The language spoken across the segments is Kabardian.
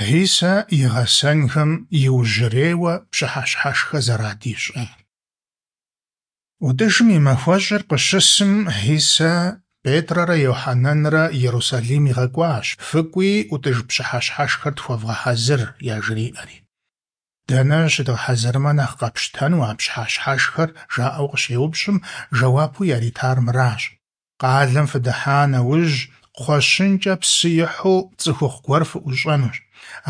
Хьисэ и гъэсэнхэм иужьрейуэ пщыхьэщхьэшхэ зэрадищӏар. ӀутӀыжым и махуэщӀыр къыщысым, Хьисэ Петррэ Йохьэнэнрэ Ерусалим игъэкӀуащ: «ФыкӀуи, ӀутӀыж пщыхьэщхьэшхэр тхуэвгъэхьэзыр», яжриӀэри. Дэнэ щыдгъэхьэзырмэ нэхъ къэпщтэну а пщыхьэщхьэшхэр, жаӀэу къыщеупщӀым, жэуапу яритар мыращ: Къалэм фыдыхьа нэужь, кхъуэщынкӀэ псы ихьу цӀыхухъу гуэр фыӀущӀэнущ.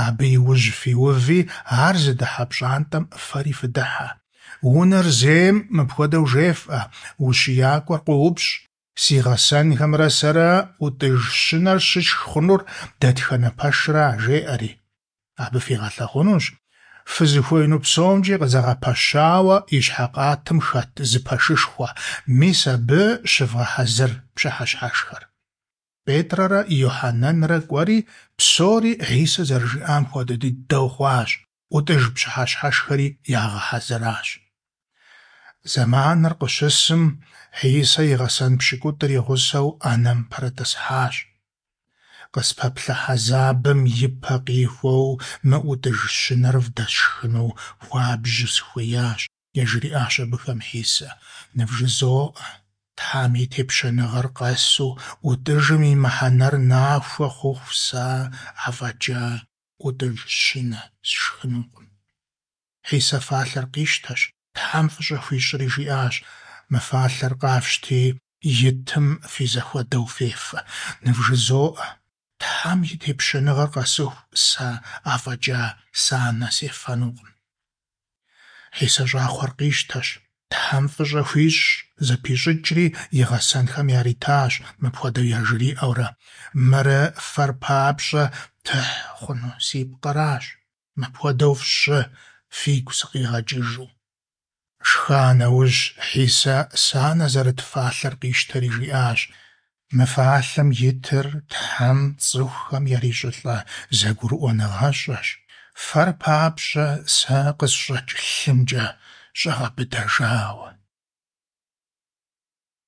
Абы и ужь фиуви, ар зыдыхьэ пщӀантӀэм фэри фыдыхьэ. Унэр зейм мыпхуэдэу жефӀэ: УщиякӀуэр къоупщӀ: Си гъэсэнхэмрэ сэрэ ӀутӀыж щынэр щытшх хъунур дэтхэнэ пэшра? жеӀэри. Абы фигъэлъагъунущ фызыхуеину псомкӀи къызэгъэпэщауэ ищхьэ къатым хэт зы пэшышхуэ, мис абы щывгъэхьэзыр пщыхьэщхьэшхэр. Петррэ Йохьэнэнрэ кӀуэри, псори Хьисэ зэрыжиӀам хуэдэ дыдэу хъуащ, ӀутӀыж пщыхьэщхьэшхэри ягъэхьэзыращ. Зэманыр къыщысым, Хьисэ и гъэсэн пщыкӀутӀыр и гъусэу Ӏэнэм пэрытӀысхьащ. Къыспэплъэ хьэзабым и пэ къихуэу мы ӀутӀыж щынэр вдэсшхыну хуабжьу сыхуеящ, яжриӀащ абыхэм Хьисэ. НывжызоӀэ, Тхьэм и Тепщэныгъэр къэсу ӀутӀыжым и мыхьэнэр нахуэ хъуху сэ афӀэкӀа ӀутӀыж щынэ сшхынукъым. Хьисэ фалъэр къищтэщ, Тхьэм фӀыщӀэ хуищӀри жиӀащ: Мы фалъэр къафщти, итым фи зэхуэдэу фефэ. НывжызоӀэ, Тхьэм и Тепщэныгъэр къэсыху сэ афӀэкӀа санэ сефэнукъым. Хьисэ щӀакхъуэр къищтэщ, Тхьэм фӀыщӀэ хуищӀщ, зэпищӀыкӀри и гъэсэнхэм яритащ, мыпхуэдэу яжриӀэурэ: Мыр фэр папщӀэ тыхь хъуну си пкъыращ. Мыпхуэдэу фщӀы, фигу сыкъигъэкӀыжу. Шха нэужь, Хьисэ санэ зэрыт фалъэр къищтэри жиӀащ: Мы фалъэм итыр Тхьэм цӀыхухэм ярищӀылӀэ зэгурыӀуэныгъэщӀэщ, фэр папщӀэ сэ къысщӀэкӀ лъымкӀэ щӀэгъэбыдэжауэ.